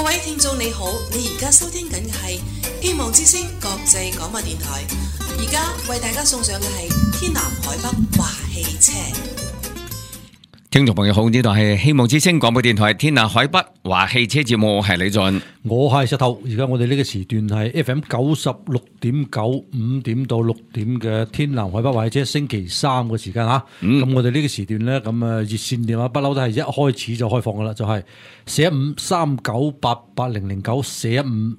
各位聽眾你好，你而家收聽緊嘅係希望之聲國際廣播電台，而家為大家送上嘅係天南海北話汽車。聽眾朋友好，呢度係希望之聲廣播電台天南海北話汽車節目，我係李俊，我係石頭。而家我哋呢個時段係 FM 96.9 5點到6點嘅天南海北話汽車星期三嘅時間吓。咁我哋呢個時段咧，咁熱線電話不嬲都係一開始就開放噶啦，就係415398800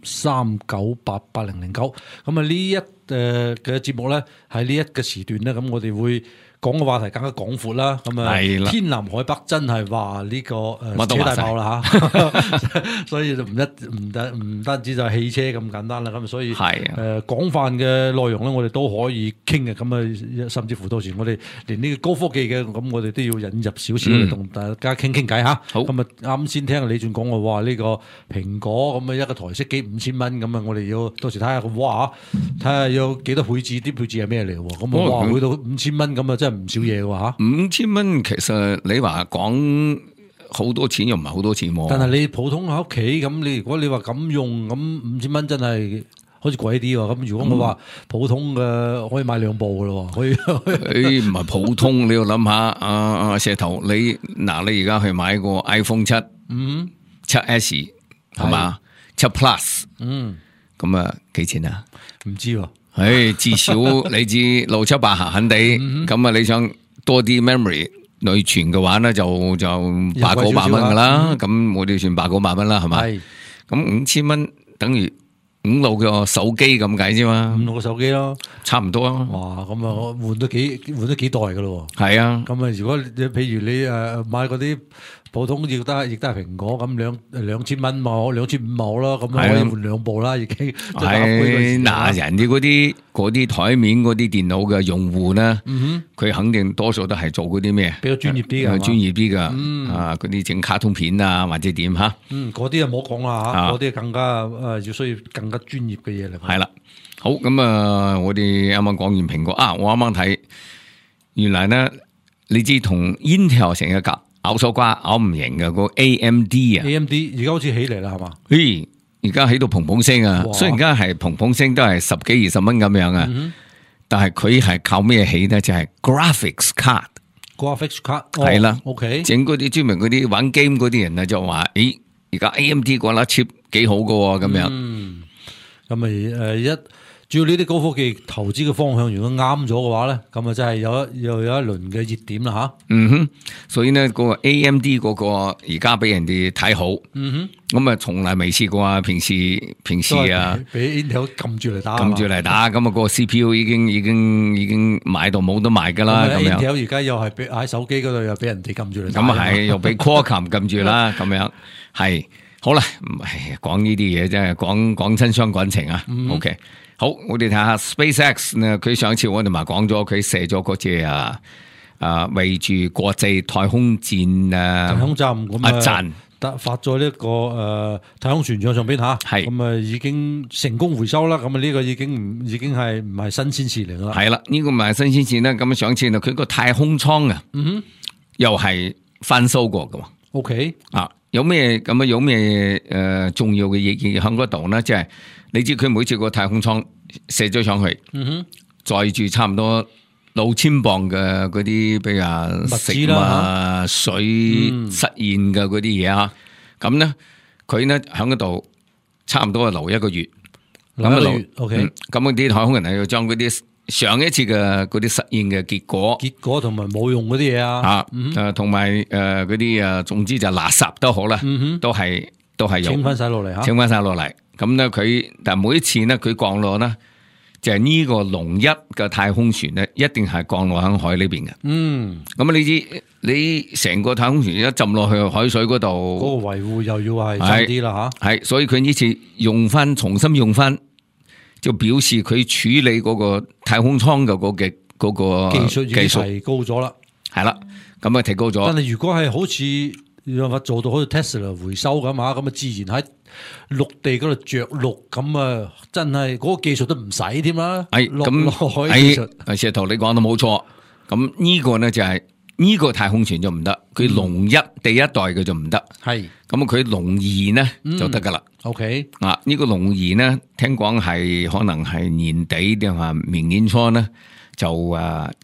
415398800。咁呢一嘅節目咧，喺呢一個時段咧，咁我哋會講嘅話題更加廣闊啦，咁天南海北真係話呢個車大炮啦嚇，所以就唔單止就係汽車咁簡單啦，咁所以廣泛嘅內容咧，我哋都可以傾嘅，咁甚至乎到時我哋連呢個高科技嘅，咁我哋都要引入少少嚟同大家傾傾偈嚇。好，咁啱先聽李俊講嘅話，呢個蘋果咁一個台式機5000蚊，咁我哋要到時睇下哇，睇下有幾多配置，啲配置係咩嚟喎？咁哇，去到5000蚊咁真係唔少嘢喎嚇！5000蚊其實你話講好多錢又唔係好多錢喎。但係你普通喺屋企咁，你如果你話咁用咁5000蚊真係好似貴啲喎。咁如果我話普通嘅可以買2部嘅咯，可以。唔係普通，你要諗下石頭，你而家去買個 iPhone 7，7S 係嘛，7 Plus，咁啊幾錢啊？唔知喎。至少你知678行地，咁啊你想多啲 memory 內存嘅話咧，就800-900蚊噶啦，咁我哋算800-900蚊啦，係咪？咁5000蚊等於5-6個手機咁解啫嘛，5-6個手機咯，差唔多啊！哇，咁啊換咗幾代噶咯？係啊，咁啊如果譬如你買嗰啲普通亦都係蘋果咁2000蚊冇2500冇咯，咁可以換2部啦，已經係嗱，人哋嗰啲台面嗰啲電腦嘅用戶咧，佢肯定多數都係做嗰啲咩比較專業啲嘅，專業啲嘅啊，嗰啲整卡通片啊或者點吓，嗰啲就唔好講啦吓，嗰啲更加要需要更加專業嘅嘢嚟。係啦，好咁啊，我哋啱啱講完蘋果啊，我啱啱睇，原來咧你知同 Intel 成日夾。咬手瓜咬唔贏嘅個 AMD 啊 ，AMD 而家好似起嚟啦，係嘛？而家起到砰砰聲啊！雖然而家係砰砰聲都係10幾20蚊咁樣啊，但係佢係靠咩起咧？就係 graphics card 係啦。OK， 整嗰啲專門嗰啲玩 game 嗰啲人啊，就話：而家 AMD 嗰粒 chip 幾好噶咁樣。咁咪主要呢啲高科技投資嘅方向，如果啱咗嘅話咧，咁啊真係又有一輪嘅熱點啦吓。所以呢嗰個 AMD 嗰個而家俾人哋睇好。咁啊從來未試過啊，平時啊，俾 Intel 撳住嚟打，咁啊個 CPU 已經買到冇得賣噶啦。咁樣 Intel 而家又係喺手機嗰度又俾人哋撳住嚟打。咁啊係，又俾 Qualcomm 撳住啦。咁樣係好啦，講呢啲嘢真係講親傷感情啊。OK。好，我哋睇下 SpaceX 呢，佢上次我哋咪講咗，佢射咗嗰隻圍住國際太空站太空站咁站發咗呢個太空船上邊吓，咁已經成功回收啦。咁呢個已經係唔係新鮮事嚟啦。係啦，呢個唔係新鮮事啦。咁上次佢個太空艙啊，又係翻修過噶。OK 有咩重要嘅嘢喺嗰度呢？即係你知佢每次個太空艙射咗上去，載住差唔多6000磅嘅嗰啲，比如食物、水、實驗嘅嗰啲嘢啊。咁呢，佢呢喺嗰度差唔多留1個月。OK。咁啲太空人係要將嗰啲上一次嘅嗰啲實驗嘅結果同埋冇用嗰啲嘢啊，同埋嗰啲總之就垃圾都好啦，都係用清翻晒落嚟吓，清翻晒落嚟。咁咧但係每一次咧佢降落咧，就係呢個龍1嘅太空船咧，一定係降落喺海呢邊嘅。咁你知你成個太空船一浸落去海水嗰度，嗰個維護又要係差啲啦吓。係，所以佢呢次重新用翻。就表示佢處理嗰個太空艙嘅嗰個技術已經提高咗啦，係啦，咁啊提高咗。但係如果係好似讓法做到好似 Tesla 回收咁啊，咁啊自然喺陸地嗰度着陸，咁啊真係嗰個技術都唔使添啦。咁，石頭你講得冇錯。咁呢個呢就係呢個太空船就唔得，佢龍一第一代嘅就唔得。係咁佢龍二呢就得噶啦。OK 啊，呢個龍二呢，聽講係可能係年底定係明年初呢就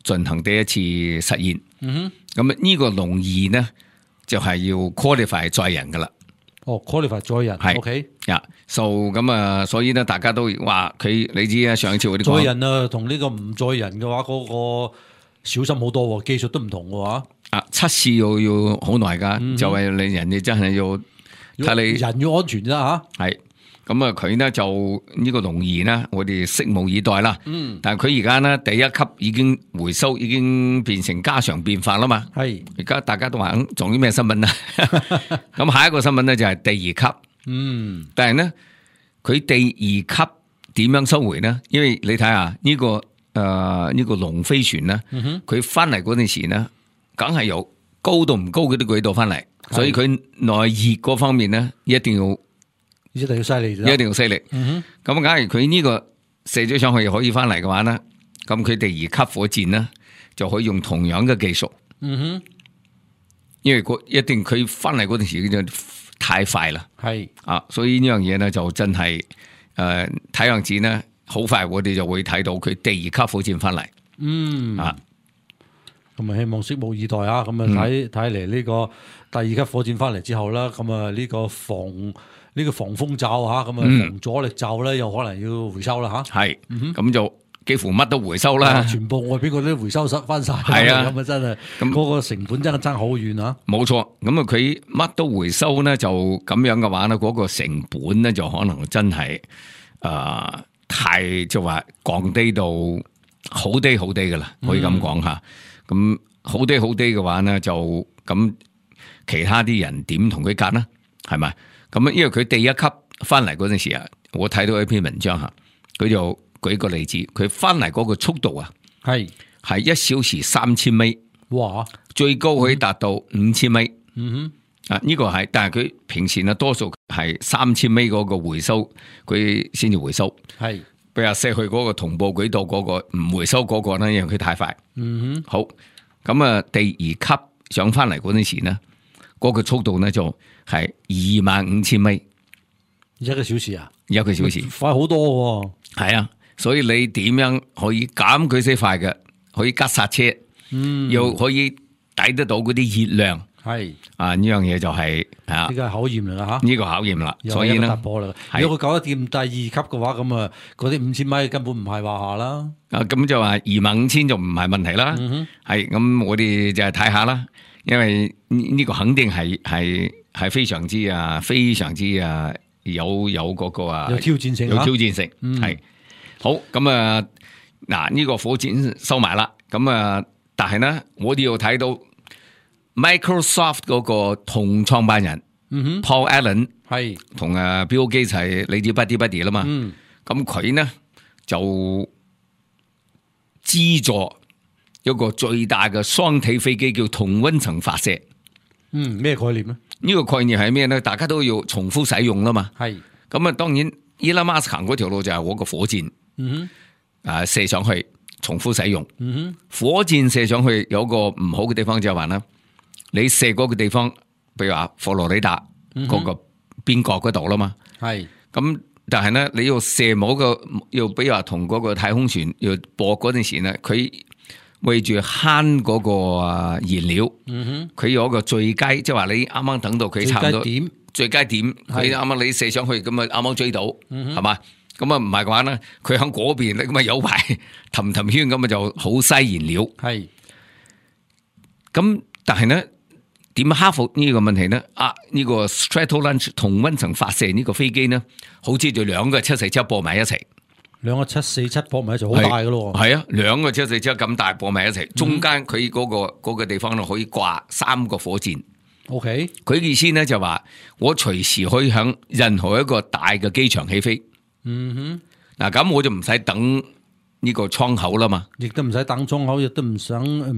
進行第一次實驗。咁呢個龍二呢就係要 qualify 載人噶啦。qualify 載人係 OK 呀，咁所以呢，大家都話佢，你知啊，上一次嗰啲載人啊，同呢個唔載人嘅話，嗰個小心好多，技術都唔同嘅話。測試要好耐噶，就係你人哋真係要睇你人要安全啫吓。係咁佢呢就呢個龍二呢，我哋拭目以待啦。但係佢而家呢第一級已經回收，已經變成家常便飯啦嘛。係而家大家都話仲有咩新聞啊？咁下一個新聞呢就係第二級。但係呢佢第二級點樣收回呢？因為你睇下呢個呢個龍飛船呢，佢翻嚟嗰陣時呢，梗係由高度唔高嗰啲軌道翻嚟，所以佢內熱嗰方面呢，一定要犀利，一定要犀利。咁假如佢呢個射咗上去又可以翻嚟嘅話呢，咁佢第二級火箭呢就可以用同樣嘅技術。因為一定佢翻嚟嗰陣時就太快啦。係所以呢樣嘢呢就真係睇樣子呢，好快我哋就會睇到佢第二級火箭翻嚟。咁希望拭目以待啊！咁睇嚟呢個第二級火箭翻嚟之後啦，咁呢個防風罩吓，咁防阻力罩咧，又可能要回收啦吓。係，咁就幾乎乜都回收啦，全部外邊嗰啲回收翻晒。係啊，咁真係，咁嗰個成本真係爭好遠啊！冇錯，咁佢乜都回收咧，就咁樣嘅話咧，嗰個成本咧就可能真係太就話降低到好低噶啦，可以咁講吓。咁好低嘅話呢，就咁其他啲人點同佢夾呢？係咪？咁因為佢第一級翻嚟嗰陣時啊，我睇到一篇文章吓，佢就舉個例子，佢翻嚟嗰個速度啊，係1小時3000米，哇！最高可以達到5000米。呢個係，但係佢平時呢多數係3000米嗰個回收，佢先至回收。係。比如射去嗰個同步軌道嗰個唔回收嗰個呢，因為佢太快。好，咁第二級上翻嚟嗰陣時呢，嗰個速度呢就係25000米，1個小時啊，1個小時，快好多喎。係啊，所以你點樣可以減佢些快嘅，可以急剎車，又可以抵得到嗰啲熱量。係呢樣嘢就係呢個係考驗嚟啦吓，呢個考驗啦，所以呢突破啦。如果佢搞得掂第二級嘅話，咁嗰啲5000米根本唔係話下啦。咁就話25000就唔係問題啦。係咁，我哋就係睇下啦，因為呢個肯定係非常之有嗰個有挑戰性，有挑戰性。係好咁嗱呢個火箭收埋啦。咁但係呢，我哋要睇到。Microsoft 嗰個同創辦人Paul Allen 係同Bill Gates係你知 buddy 啦嘛，咁佢呢就資助一個最大嘅雙體飛機叫同溫層發射。咩概念呢？呢個概念係咩呢？大家都要重複使用啦嘛。係咁當然 Elon Musk 行嗰條路就係我個火箭，射上去重複使用。火箭射上去有個唔好嘅地方就係話呢。你射嗰個地方，比如話佛羅里達嗰個邊角嗰度啦嘛，係咁，但係咧你要射某個，要比如話同嗰個太空船要駁嗰陣時咧，佢為住慳嗰個燃料，佢有一個最佳，即係話你啱啱等到佢差唔多最佳點，佢啱啱你射上去咁啊，啱啱追到，係嘛？咁啊唔係嘅話咧，佢喺嗰邊咧咁啊有排氹圈咁啊就好嘥燃料，係咁，但係咧。點克服呢個問題呢？呢個 Stratolaunch 同溫層發射呢個飛機呢，好似就兩個747駁埋一齊，兩個747駁埋一齊好大噶咯。係啊，兩個747咁大駁埋一齊，中間佢嗰個地方呢可以掛3個火箭。OK， 佢意思呢就話我隨時可以響任何一個大嘅機場起飛。嗱咁我就唔使等。呢個窗口啦嘛，亦都唔使等窗口，亦都唔使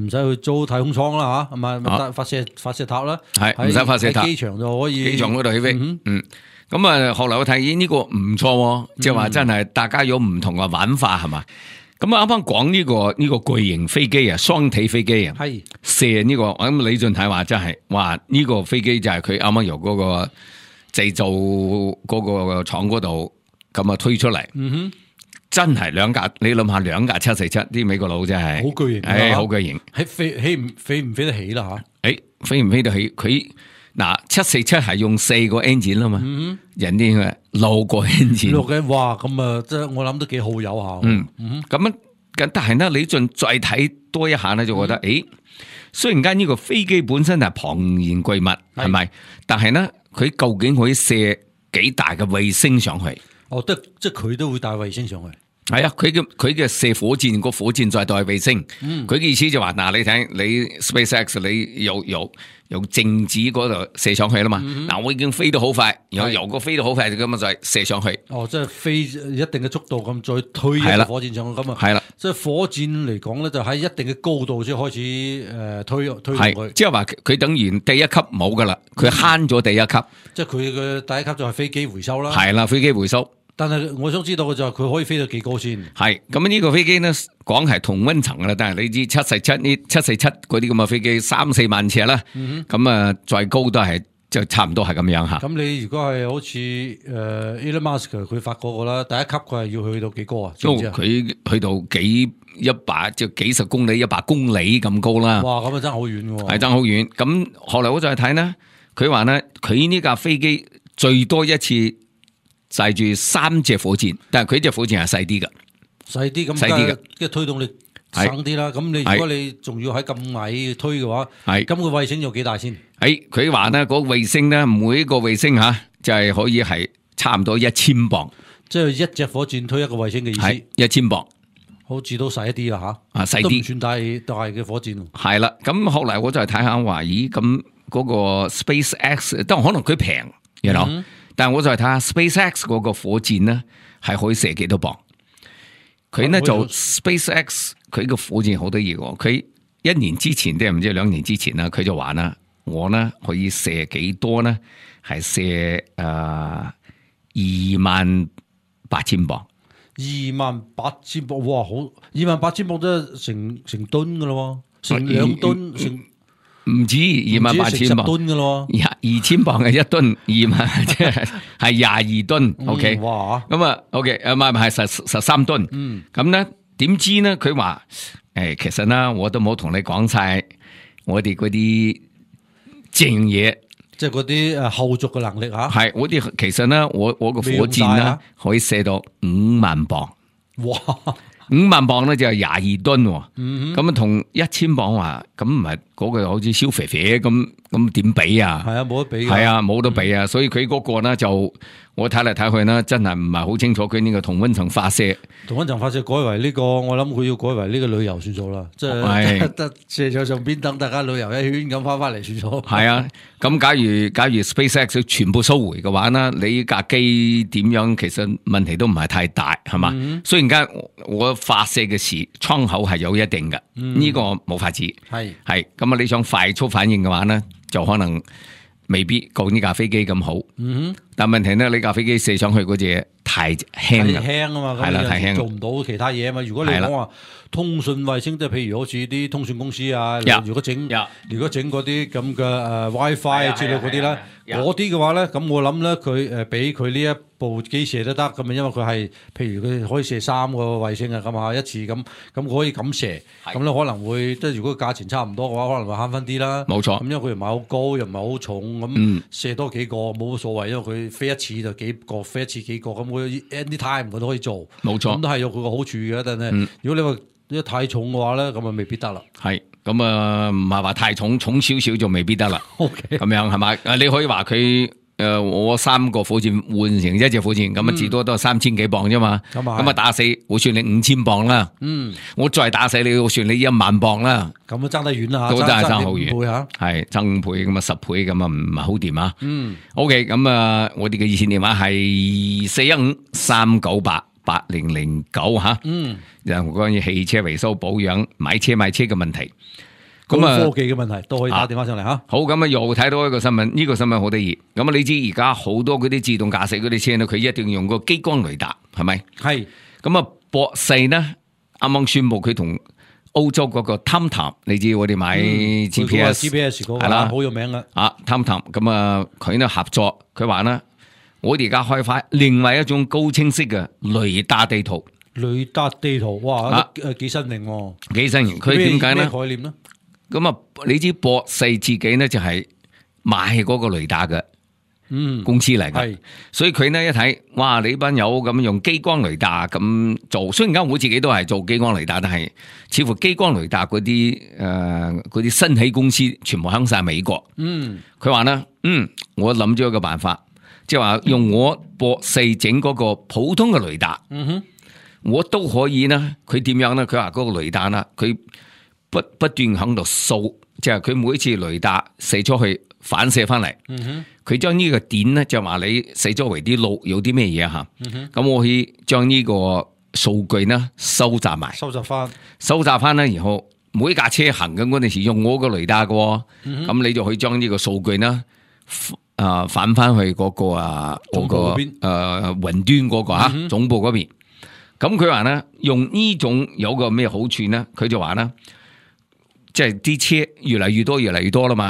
去租太空艙啦吓，係咪？發射塔啦，係唔使發射塔，機場就可以，機場嗰度起飛。咁後來我睇呢個唔錯，即係話真係大家有唔同嘅玩法係嘛。咁啊，啱啱講呢個巨型飛機啊，雙體飛機啊，係射呢個，咁李俊泰話真係話呢個飛機就係佢啱啱由嗰個製造嗰個廠嗰度咁啊推出嚟，真係兩架，你諗下兩架747，啲美國佬真係好巨型，好巨型，喺飛唔飛得起啦吓？飛唔飛得起？佢嗱747係用4個 engine 啦嘛，人哋係6個 engine， 6嘅，哇！咁啊，即係我諗都幾好有下。咁但係咧，李俊再睇多一下咧，就覺得雖然間呢個飛機本身係龐然巨物，係咪？但係咧，佢究竟可以射幾大嘅衛星上去？即係佢都會帶衛星上去。係啊，佢嘅射火箭，個火箭再帶衛星。佢嘅意思就話嗱，你睇你 SpaceX 你由靜止嗰度射上去啦嘛。嗱，我已經飛得好快，然後由個飛得好快咁啊，再射上去。即係飛一定嘅速度咁，再推一個火箭上去咁啊。係啦，即係火箭嚟講咧，就喺一定嘅高度先開始推上去。即係話佢等於第一級冇噶啦，佢慳咗第一級。即係佢嘅第一級就係飛機回收啦。係啦，飛機回收。但係我想知道嘅就係佢可以飛到幾高先？係咁呢個飛機呢，講係同溫層啦，但係你知747嗰啲咁嘅飛機3-4萬尺啦，咁啊再高都係就差唔多係咁樣吓。咁你如果係好似Elon Musk 佢發嗰個啦，第一級佢係要去到幾高啊？佢去到幾十公里、100公里咁高啦。哇，咁啊爭好遠嘅喎。係爭好遠。咁後來我再睇呢，佢話呢，佢呢架飛機最多一次載住3隻火箭，但係佢隻火箭係細啲嘅，細啲咁，即係推動力省啲啦。咁你如果你仲要喺咁矮推嘅話，咁個衛星有幾大先？佢話呢，嗰個衛星呢，每一個衛星吓就係可以係差唔多1000磅，即係一隻火箭推一個衛星嘅意思。1000磅，好似都細一啲啦吓，細啲都唔算大嘅火箭。係啦，咁後來我就睇下話，咦，咁嗰個 SpaceX， 但可能佢平，you know？但係我就睇下 SpaceX 嗰個火箭呢，係可以射幾多磅？佢呢就 SpaceX 佢個火箭好得意喎，佢1年之前定唔知2年之前啦，佢就話啦，我呢可以射幾多呢？係射28,000磅。28,000磅，哇！好，28,000磅都係成噸噶咯，成2噸成。唔止28,000磅嘅咯，2000磅係1噸，2萬即係22噸。OK，哇！咁啊 ，OK， 唔係13噸。咁咧點知呢？佢話其實呢，我都冇同你講晒我哋嗰啲正嘢，即係嗰啲後續嘅能力吓。係我哋其實呢，我個火箭呢可以射到5萬磅。哇！5萬磅咧就係22噸，咁啊同1000磅話，咁唔係嗰個好似燒肥肥咁點比啊？係啊，冇得比。係啊，冇得比啊！所以佢嗰個咧就我睇嚟睇去呢，真係唔係好清楚佢呢個同溫層發射。同溫層發射改為呢個，我諗佢要改為呢個旅遊算數啦，即係得射在上邊等大家旅遊一圈咁翻嚟算數。係啊，咁假如 SpaceX 全部收回嘅話呢，你架機點樣其實問題都唔係太大，係嘛？雖然間我發射嘅窗口係有一定嘅，呢個冇法子。係咁啊！你想快速反應嘅話呢，就可能未必夠呢架飛機咁好。但問題呢，你架飛機射上去嗰隻太輕啊嘛，係啦，太輕，做唔到其他嘢啊嘛。如果你講話通訊衛星，即係譬如好似啲通訊公司啊，如果整嗰啲咁嘅WiFi 之類嗰啲啦，嗰啲嘅話咧，咁我諗咧佢俾佢呢一部機射都得咁啊，因為佢係譬如佢可以射3個衛星啊，咁啊一次咁可以咁射，咁咧可能會即係如果價錢差唔多嘅話，可能會慳翻啲啦。冇錯，咁因為佢又唔係好高，又唔係好重，咁射多幾個冇乜所謂，因為佢飛一次就幾個，飛一次幾個，咁佢 anytime 佢都可以做。冇錯，咁都係有佢個好處嘅。但係如果你話太重嘅話咧，咁啊未必得啦。係咁啊，唔係話太重少少就未必得啦。OK，咁樣係咪？你可以話佢我3個火箭換成一隻火箭，咁啊至多都係3000幾磅啫嘛。咁啊打死，我算你5000磅啦。我再打死你，我算你1萬磅啦。咁啊爭得遠啦，都真係爭好遠。係爭5倍咁啊10倍咁啊唔係好掂啊。OK，咁啊我哋嘅熱線電話係415-398-8009吓。然後關於汽車維修保養、買車賣車嘅問題。咁啊，科技嘅問題都可以打電話上嚟吓。好，咁啊又睇到一個新聞，呢個新聞好得意。咁啊，你知而家好多嗰啲自動駕駛嗰啲車咧，佢一定要用個激光雷達，係咪？係。咁啊，博世呢啱啱宣布佢同歐洲嗰個 TomTom， 你知我哋買 GPS 嗰個係啦，好有名啊 TomTom 咁啊，佢呢合作，佢話呢，我哋而家開發另外一種高清晰嘅雷達地圖。雷達地圖，哇，幾新穎喎！幾新穎，佢點解呢？咩概念呢？咁啊，你知博世自己呢就係買嗰個雷達嘅公司嚟嘅，所以佢呢一睇，哇！你班友咁用激光雷達咁做，雖然間我自己都係做激光雷達，但係似乎激光雷達嗰啲新起公司全部響晒美國。佢話呢，我諗咗一個辦法，即係話用我博世整嗰個普通嘅雷達。我都可以呢，佢點樣呢？佢話嗰個雷達啦，佢不斷喺度掃，即係佢每次雷達射出去反射翻嚟，佢將呢個點呢，就話你四周圍啲路有啲咩嘢吓，咁我可以將呢個數據呢收集埋，收集翻呢，然後每架車行緊嗰陣時用我個雷達嘅，咁你就可以將呢個數據呢反翻去嗰個嗰個雲端嗰個吓總部嗰邊。咁佢話呢，用呢種有個咩好處呢？佢就話呢，即係啲車越嚟越多啦嘛。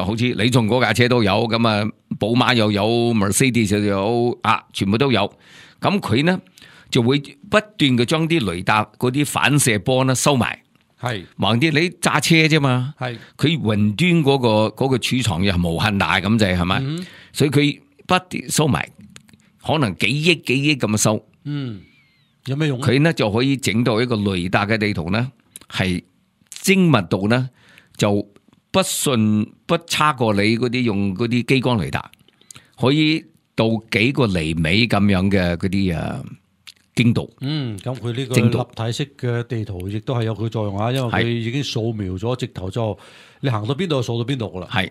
好似你從嗰架車都有，咁啊，寶馬又有 Mercedes 又有全部都有。咁佢呢就會不斷嘅將啲雷達嗰啲反射波呢收埋。係，橫啲你揸車啫嘛。係，佢雲端嗰個儲藏又係無限大咁滯，係咪？所以佢不斷收埋，可能幾億咁收。有咩用？佢呢就可以整到一個雷達嘅地圖呢，係精密度呢就不差過你嗰啲用嗰啲激光雷達，可以到幾個厘米咁樣嘅嗰啲精度。咁佢呢個立體式嘅地圖亦都係有佢作用啊，因為佢已經掃描咗直頭就你行到邊度就掃到邊度噶啦。係，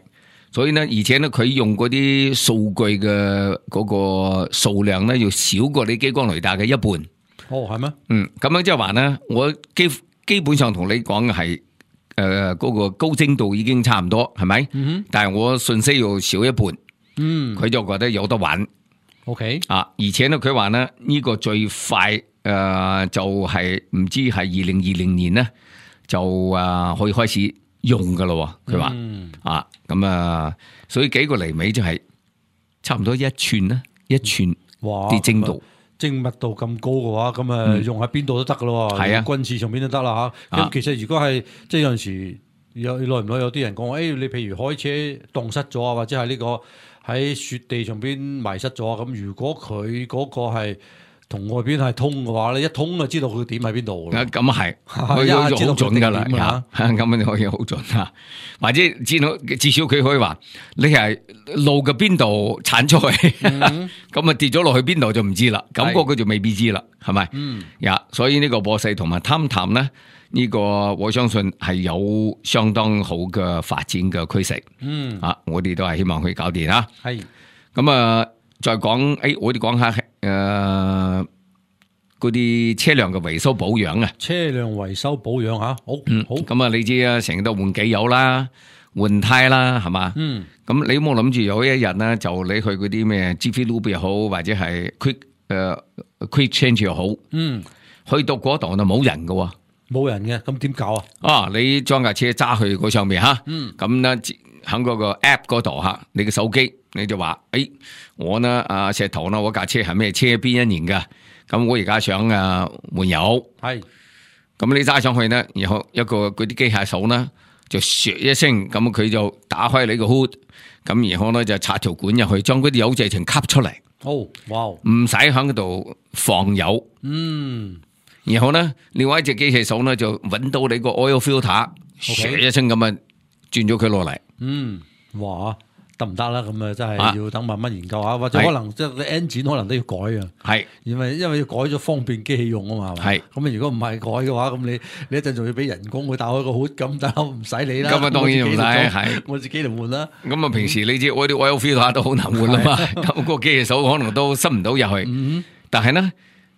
所以呢，而且呢，佢用嗰啲數據嘅嗰個數量呢，要少過你激光雷達嘅一半。係咩？咁樣即係話呢，我基本上同你講嘅係嗰個高精度已經差唔多，係咪？但係我信息要少一半，佢就覺得有得玩。OK 而且呢，佢話呢，呢個最快就係唔知係2020年呢，就可以開始用噶咯。佢話咁所以幾個厘米就係差唔多一寸啦，一寸啲精度。精密度咁高嘅話，咁用喺邊度都得噶咯，喺軍事上邊都得啦吓。咁其實如果係即係有陣時耐唔耐有啲人講，你譬如開車蕩失咗啊，或者係呢個喺雪地上邊迷失咗啊，咁如果佢嗰個係同外邊係通嘅話咧，一通就知道佢點喺邊度。咁係，佢好準噶啦，咁樣可以好準啊。或者至少佢可以話你係路嘅邊度鏟出去，咁跌咗落去邊度就唔知啦。咁嗰個就未必知啦，係咪？所以呢個博世同埋TomTom呢，呢個我相信係有相當好嘅發展嘅趨勢。我哋都係希望佢搞掂啦。係咁再講我哋講下嗰啲車輛嘅維修保養啊。車輛維修保養好。咁你知啊，成日都換機油啦，換胎啦，係嘛？咁你有冇諗住有一日呢，就你去嗰啲咩 Jiffy Lube 又好，或者係 Quick Change 又好，去到嗰度就冇人㗎。冇人嘅，咁點搞啊？你將架車揸去嗰上面吓，咁咧喺嗰個 app 嗰度吓，你嘅手機你就話，我呢石頭呢，我架車係咩車邊一年噶，咁我而家想換油，係，咁你揸上去呢，然後一個嗰啲機械手呢就唰一聲，咁佢就打開你個 hood，咁然後呢就插條管入去，將嗰啲油直情吸出嚟，哇，唔使喺嗰度放油，然後呢，另外一隻機器手呢就揾到你個 oil filter，唰一聲咁轉咗佢落嚟。哇，得唔得啦？咁真係要等慢慢研究下，或者可能即係 engine 可能都要改啊。係，因為要改咗方便機器用啊嘛。係，咁如果唔係改嘅話，咁你一陣仲要俾人工去打開個hood，咁但係唔使你啦。咁當然唔使，係我自己嚟換啦。咁平時你知我啲 oil filter 都好難換啦嘛，咁個機器手可能都塞唔到入去。但係呢，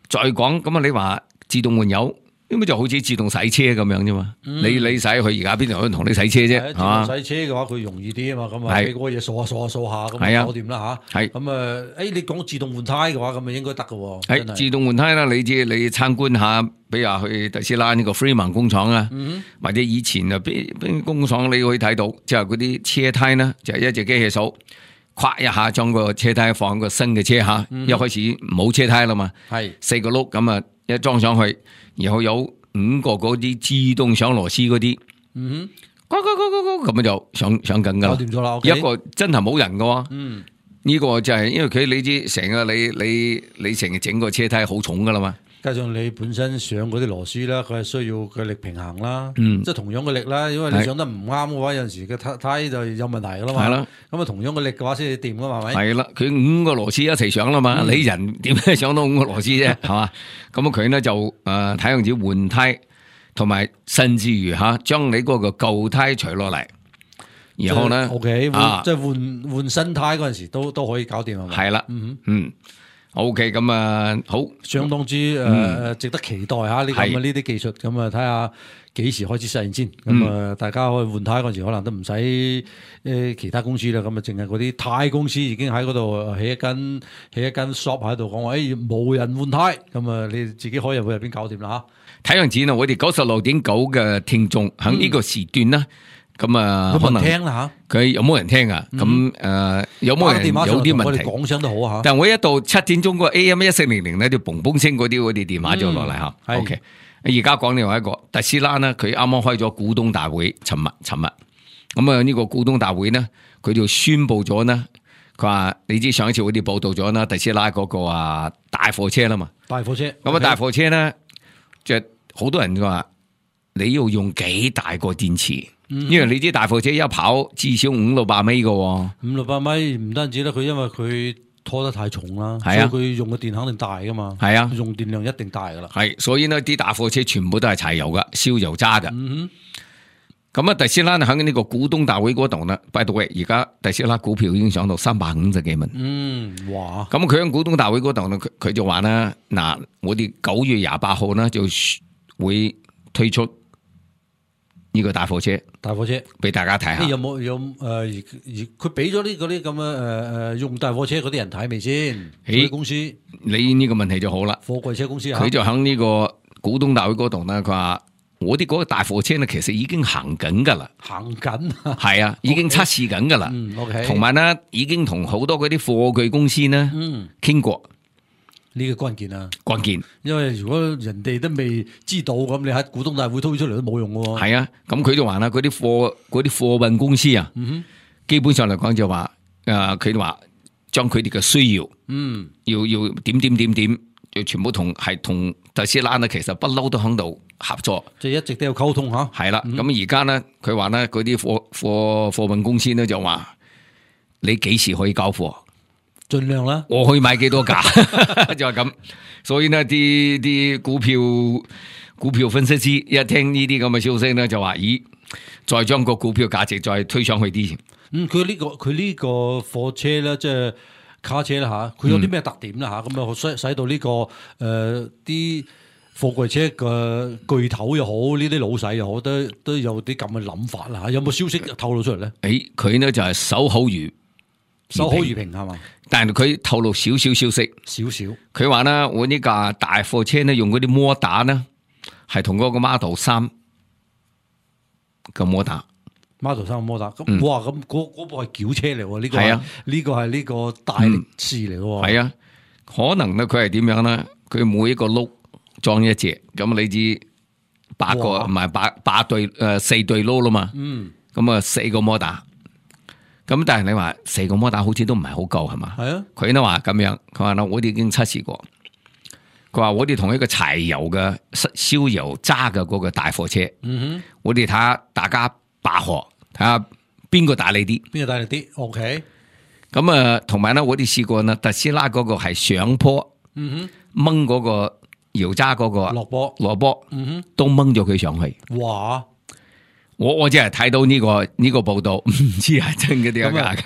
再講咁你話自動換油，咁就好似自動洗車咁樣啫嘛。你洗佢而家邊度可能同你洗車啫？自動洗車嘅話，佢容易啲啊嘛。咁啊，俾嗰個嘢掃下，咁啊搞掂啦嚇。係咁啊，你講自動換胎嘅話，咁啊應該得嘅喎。係自動換胎啦，你參觀下，比如話去特斯拉呢個 Fremont 工廠啊，或者以前啊邊工廠你可以睇到，即係嗰啲車胎呢，就係一隻機器掃，咵一下將個車胎放個新嘅車下，一開始冇車胎啦嘛，係4個轆咁啊一裝上去，然後有5個嗰啲自動上螺絲嗰啲，咁就上緊噶啦，搞掂咗啦。一個真係冇人噶，呢個就係因為佢你知成日你成日整個車胎好重噶啦嘛。加上你本身上嗰啲螺絲啦，佢係需要嘅力平衡啦，即係同樣嘅力啦。因為你上得唔啱嘅話，有陣時嘅胎就有問題噶啦嘛。係啦，咁啊同樣嘅力嘅話先至掂噶嘛，係咪？係啦，佢5個螺絲一齊上啦嘛，你人點解上到5個螺絲啫？係嘛？咁佢呢就睇樣子換胎，同埋甚至於將你嗰個舊胎除落嚟，然後呢 ，OK， 即係換新胎嗰陣時都可以搞掂係咪？係啦，OK， 咁啊，好，相當之值得期待下呢呢啲技術，咁啊睇下幾時開始實現先。咁啊，大家可以換胎嗰陣時，可能都唔使其他公司啦。咁啊，淨係嗰啲胎公司已經喺嗰度起一間 shop 喺度講話，冇人換胎，咁啊，你自己可以入去入邊搞掂啦嚇。睇樣子啊，我哋96.9嘅聽眾喺呢個時段啦。咁啊，可能聽啦吓，佢有冇人聽啊？咁有冇人有啲問題？講聲都好吓。但係我一到7點鐘個 AM1400咧，就嘣嘣聲嗰啲電話就落嚟吓。OK，而家講另外一個特斯拉呢，佢啱啱開咗股東大會，尋日。咁啊呢個股東大會呢，佢就宣布咗呢，佢話你知上一次我哋報道咗啦，特斯拉嗰個大貨車啦嘛。大貨車。咁啊大貨車呢，就好多人話你要用幾大個電池？因為你知大貨車一跑至少500-600米嘅，500-600米唔單止啦，佢因為佢拖得太重啦，所以佢用嘅電肯定大噶嘛，係啊，用電量一定大噶啦，係，所以呢啲大貨車全部都係柴油噶，燒油渣噶。咁啊，特斯拉喺呢個股東大會嗰度呢 by the way， 而家特斯拉股票已經上到350幾蚊，哇！咁佢喺股東大會嗰度呢，佢就話啦，嗱，我哋9月28號呢就會推出呢個大貨車俾大家睇下。有冇佢俾咗呢嗰啲咁嘅用大貨車嗰啲人睇未先？啲公司，你呢個問題就好啦。貨櫃車公司佢就喺呢個股東大會嗰度咧，佢話我哋嗰個大貨車咧，其實已經行緊噶啦，行緊係啊，已經測試緊噶啦。OK， 同埋呢，已經同好多嗰啲貨櫃公司呢傾過。呢個關鍵啊！關鍵，因為如果人哋都未知道咁，你喺股東大會推出嚟都冇用嘅。係啊，咁佢就話啦，嗰啲貨運公司啊，基本上嚟講就話，佢哋話將佢哋嘅需要，要點，就全部同特斯拉呢，其實不嬲都喺度合作，即係一直都有溝通吓。係啦，咁而家呢，佢話呢，嗰啲貨運公司呢就話，你幾時可以交貨？盡量啦，我可以買幾多架就係咁，所以呢啲股票分析師一聽呢啲咁嘅消息呢，就話咦，再將個股票價值再推上去啲。佢呢個貨車咧，即係卡車啦吓，佢有啲咩特點啦吓？咁啊使到呢個啲貨櫃車嘅巨頭又好，呢啲老細又好，都有啲咁嘅諗法啦吓。有冇消息透露出嚟咧？佢呢就係守口如瓶係嘛？但係佢透露少少消息，佢話呢，我呢架大貨車呢，用嗰啲摩打呢，係同嗰個 Model 3嘅摩打，Model 3嘅摩打。咁哇，咁嗰部係轎車嚟喎，呢個係啊，呢個係呢個大力士嚟喎。係啊，可能呢，佢係點樣呢？佢每一個轆裝一隻，咁你知8個唔係8對4對轆啦嘛。咁啊4個摩打。咁但係你話4個摩打好似都唔係好夠係嘛？係啊，佢呢話咁樣，佢話呢我哋已經測試過，佢話我哋同一個柴油嘅燒油渣嘅嗰個大貨車，我哋睇下大家拔河，睇下邊個大力啲，OK。咁啊，同埋呢我哋試過呢特斯拉嗰個係上坡，掹嗰個油渣嗰個落坡，都掹咗佢上去。哇！我只係睇到呢個報道，唔知係真嘅定係假嘅。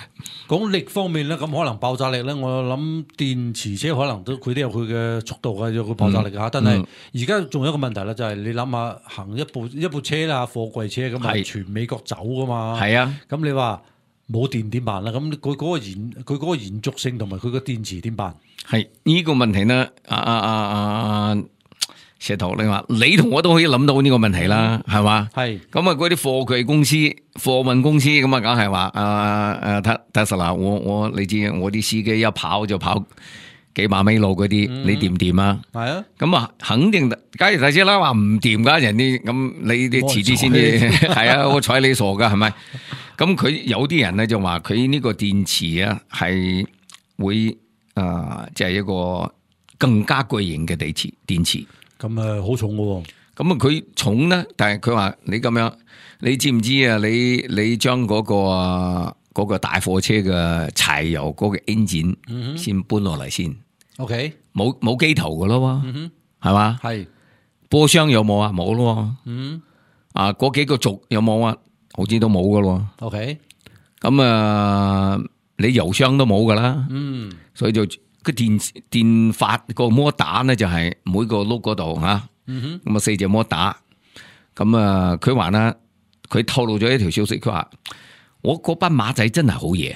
講力方面咧，咁可能爆炸力咧，我諗電池車可能佢都有佢嘅速度嘅，有佢爆炸力嘅。但係而家仲有一個問題啦，就係你諗下行一部車啦，貨櫃車咁啊，全美國走噶嘛。係啊，咁你話冇電點辦啦？咁佢嗰個延續性同埋佢個電池點辦？係呢個問題呢？石頭，你話你同我都可以諗到呢個問題啦，係嘛？係咁啊，嗰啲貨櫃公司、貨運公司咁啊，梗係話Tesla，我你知我啲司機一跑就跑幾百米路嗰啲，你掂唔掂啊？係啊，咁啊，肯定假如大車啦話唔掂噶，人哋咁你哋遲啲先至係啊，我睬你傻噶係咪？咁佢有啲人咧就話佢呢個電池啊係會即係一個更加巨型嘅電池。咁好重嘅喎，咁啊佢重咧，但係佢話你咁樣，你知唔知啊？你將嗰個大貨車嘅柴油嗰個 engine 先搬落嚟先 ，OK，冇機頭嘅咯，係嘛？係波箱有冇啊？冇咯，嗰幾個軸有冇啊？好似都冇嘅咯，OK，咁啊你油箱都冇噶啦，所以就。個電發個摩打咧就係每個轆嗰度吓，咁啊4隻摩打，咁啊佢話啦，佢透露咗一條消息，佢話我嗰班馬仔真係好嘢，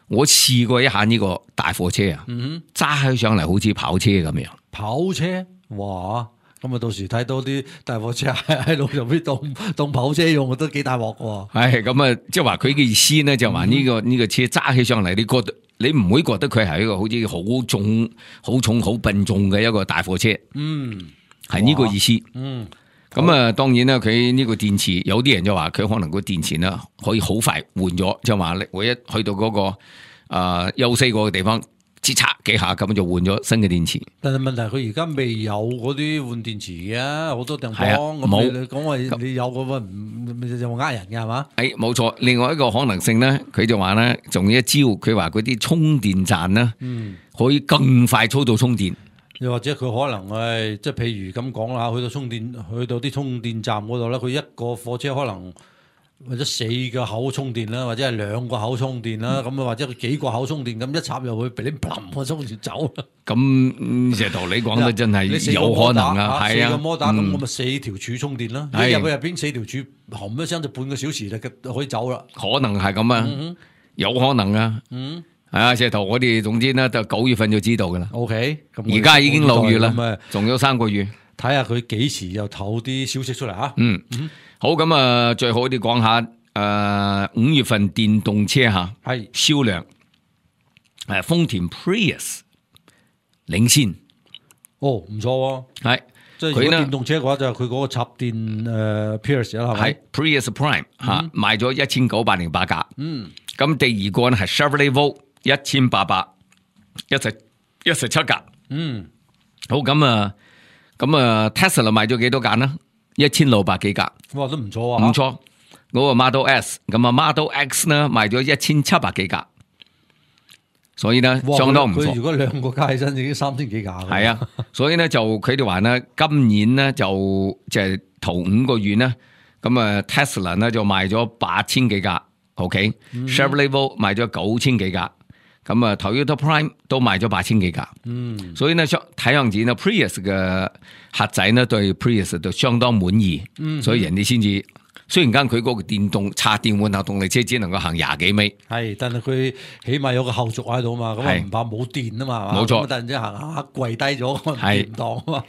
我試過一下呢個大貨車啊，揸起上嚟好似跑車咁樣。跑車，哇！咁啊到時睇到啲大貨車喺路上邊當跑車用，都幾大鑊喎。係咁啊，即係話佢嘅意思咧，就話呢個車揸起上嚟，你覺得？你唔會覺得佢係一個好似好重、好重、好笨重嘅一個大貨車，係呢個意思。咁啊，當然啦，佢呢個電池，有啲人就話佢可能個電池呢可以好快換咗，就話我一去到嗰個休息過嘅地方，吱嚓幾下咁就換咗新嘅電池。但係問題佢而家未有嗰啲換電池嘅，好多地方冇。你講話你有嗰個有冇呃人嘅係嘛？冇錯。另外一個可能性咧，佢就話咧，仲有一招，佢話嗰啲充電站咧，可以更快速度充電。又或者佢可能即係譬如咁講啦，去到啲充電站嗰度咧，佢一個貨車可能。或者4個口充電啦，或者係2個口充電啦，咁啊或者佢幾個口充電，咁一插入去，俾你砰個充住走啦。咁石頭你講得真係有可能啊，係啊，4個摩打咁我咪4條柱充電啦。你入去入邊4條柱，冚一聲就半個小時就可以走啦。可能係咁啊，有可能啊。係啊，石頭我哋總之咧就9月份就知道噶啦。OK，而家已經6月啦，仲有3個月，睇下佢幾時又透啲消息出嚟啊。好，咁啊，最好啲講下5月份電動車吓係銷量，豐田 Prius 領先，唔錯，係即係如果電動車嘅話就係佢嗰個插電Prius 啦，係咪？Prius Prime 吓賣咗1908架，咁第二個咧係 Chevrolet Volt 1817架，好咁啊，Tesla 賣咗幾多架呢？1600幾架，哇都唔錯啊！唔錯，嗰個 Model S 咁啊 ，Model X 呢賣咗1700幾架，所以呢相當唔錯。佢如果2個加起身已經3000幾架。係啊，所以呢就佢哋話呢，今年呢就係頭5個月呢，咁啊 Tesla 呢就賣咗8000幾架 ，OK，Chevrolet Volt 賣咗9000幾架。咁啊 Toyota Prime 都賣咗8000幾架，所以呢睇樣子呢 Prius 嘅客仔呢對 Prius 都相當滿意，所以人哋先至雖然間佢嗰個電動插電混合動力車只能夠行20幾米，係，但係佢起碼有個後續喺度嘛，咁啊唔怕冇電啊嘛，冇錯，突然之間行下跪低咗，係唔當啊嘛。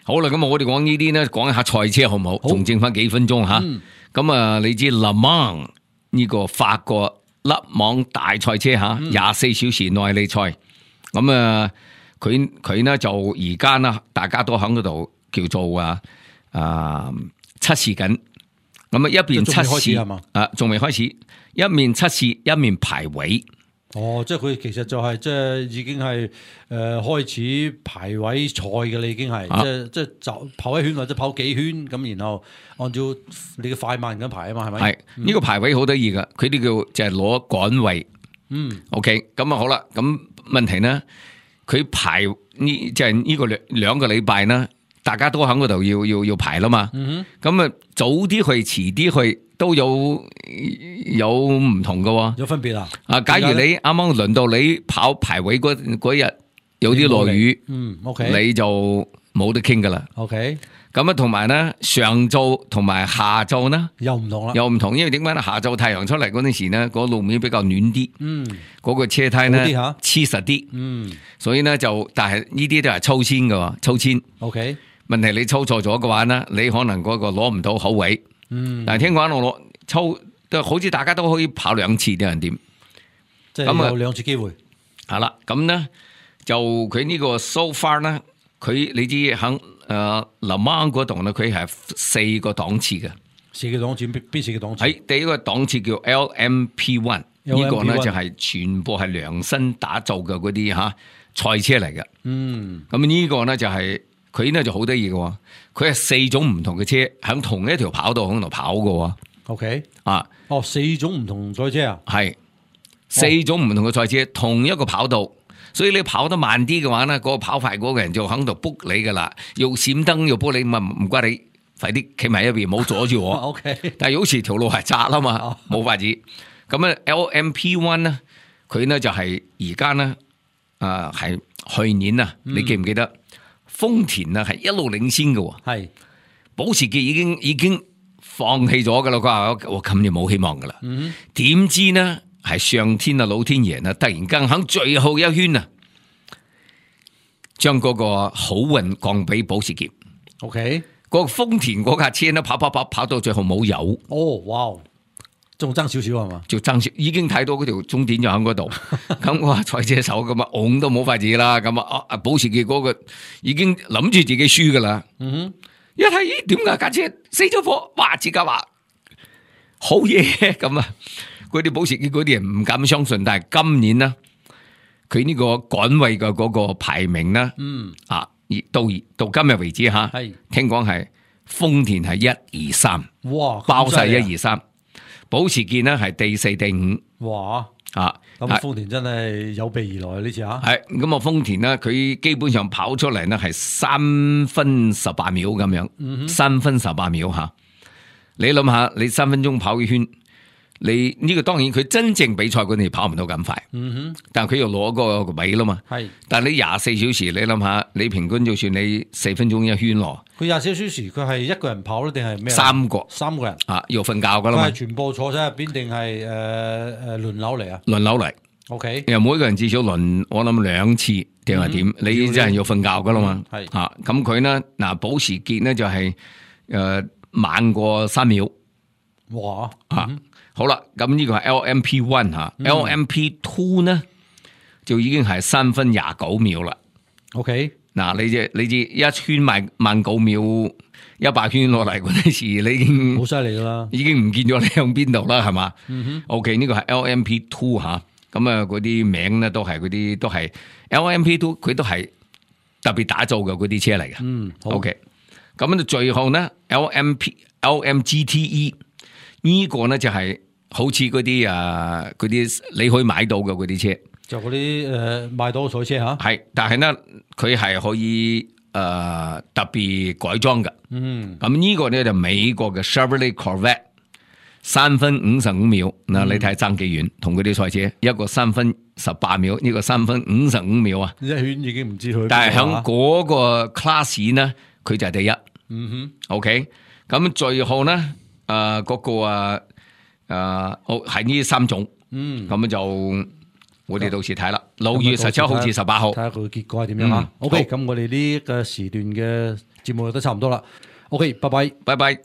好啦，咁我哋講呢啲呢，講一下賽車好唔好？仲剩翻幾分鐘吓，咁啊你知 Le Mans 呢個法國勒芒大賽車吓，24小時耐力賽，咁啊，佢呢就而家呢，大家都喺嗰度叫做測試緊，咁啊一邊測試仲未開始，一面測試一面排位。哦，即係佢其實就係即係已經係開始排位賽嘅啦，已經係即係就跑一圈或者跑幾圈咁，然後按照你嘅快慢咁排啊嘛，係咪？係呢個排位好得意噶，佢哋叫就係攞杆位。OK， 咁啊好啦，咁問題呢，佢排呢即係呢個兩個禮拜呢，大家都喺嗰度要排啦嘛。咁啊早啲去，遲啲去，都有唔同嘅，有分別啊！假如你啱啱輪到你跑排位嗰日有啲落雨，OK， 你就冇得傾噶啦。OK， 咁啊，同埋咧上晝同埋下晝呢又唔同啦，又唔同，因為點解咧？下晝太陽出嚟嗰陣時呢，個路面比較暖啲，嗰個車胎呢黐實啲，所以呢就，但係呢啲都係抽籤嘅，抽籤。OK， 問題你抽錯咗嘅話呢，你可能嗰個攞唔到好位。但係聽講我抽都好似大家都可以跑2次啲人點，即係有2次機會。係啦，咁呢就佢呢個 so far 呢，佢你知喺Le Mans嗰度呢，佢係4個檔次嘅。4個檔次邊4個檔次？喺第一個檔次叫 LMP1， 呢個呢就係全部係量身打造嘅嗰啲賽車嚟嘅。咁呢個呢就係佢呢就好得意嘅，佢係4種唔同嘅車喺同一條跑道喺度跑嘅。OK， 4種唔同賽車啊？係4種唔同嘅賽車，同一個跑道。所以你跑得慢啲嘅話呢，嗰個跑快嗰個人就喺度卜你噶啦，要閃燈要卜你，咪唔該你快啲企埋一邊，唔好阻住我。OK， 但係好似條路係窄啦嘛，冇法子。咁啊 LMP1 呢，佢呢就係而家呢，係去年啊，你記唔記得豐田啊係一路領先嘅？係保時捷已經放棄咗噶啦，佢話我今年冇希望噶啦。點知呢？係上天啊，老天爺啊，突然間喺最後一圈啊，將嗰個好運降俾保時捷。OK， 個豐田嗰架車呢，跑到最後冇油。哦，哇，仲爭少少係嘛？就爭少，已經睇到嗰條終點就喺嗰度。咁我話賽車手咁啊，拱都冇法子啦。咁啊，保時捷嗰個已經諗住自己輸噶啦。一睇咦，點解架車死咗火？哇！自家話好嘢咁啊！嗰啲保時捷嗰啲人唔敢相信，但係今年呢，佢呢個趕位嘅嗰個排名呢，到今日為止吓，聽講係豐田係1、2、3，哇，包晒1、2、3，保時捷呢係第4、第5，哇，咁豐田真係有備而來呢次吓，係咁啊，豐田呢，佢基本上跑出嚟呢係3分18秒咁樣，3分18秒吓，你諗下，你3分鐘跑一圈。你呢個當然佢真正比賽嗰陣跑唔到咁快，但係佢又攞個位啦嘛。係，但係你24小時，你諗下，你平均就算你4分鐘一圈咯。佢24小時，佢係一個人跑咧，定係咩？3個人要瞓覺噶啦嘛。佢係全部坐喺入邊，定係輪流嚟啊？輪流嚟。OK， 又每個人至少輪，我諗2次定係點？你真係要瞓覺噶啦嘛。係咁佢呢嗱，保時捷呢就係慢過3秒。哇！好啦，咁呢個係 LMP1 吓，LMP2 呢就已經係3分29秒啦。OK， 嗱你知一圈慢9秒，100圈落嚟嗰陣時，你已經好犀利啦，已經唔見咗你向邊度啦，係嘛？OK， 呢個係 LMP2 吓，咁啊嗰啲名咧都係嗰啲都係 LMP2， 佢都係特別打造嘅嗰啲車嚟嘅。OK， 咁最後呢 LMGTE。呢個呢就係好似嗰啲你可以買到嘅嗰啲車，就嗰啲買到賽車吓，係，但係呢佢係可以特別改裝嘅。咁呢個呢就美國嘅 Chevrolet Corvette 3分55秒，嗱你睇爭幾遠，同嗰啲賽車一個3分18秒，呢個3分55秒啊，一圈已經唔知佢，但係響嗰個 class 呢，佢就係第一。OK， 咁最後呢。嗰個係呢3種，咁就我哋到時睇啦。6月17號至18號，睇下佢結果係點樣啊？OK，咁我哋呢個時段嘅節目都差唔多啦。OK，拜拜，拜拜。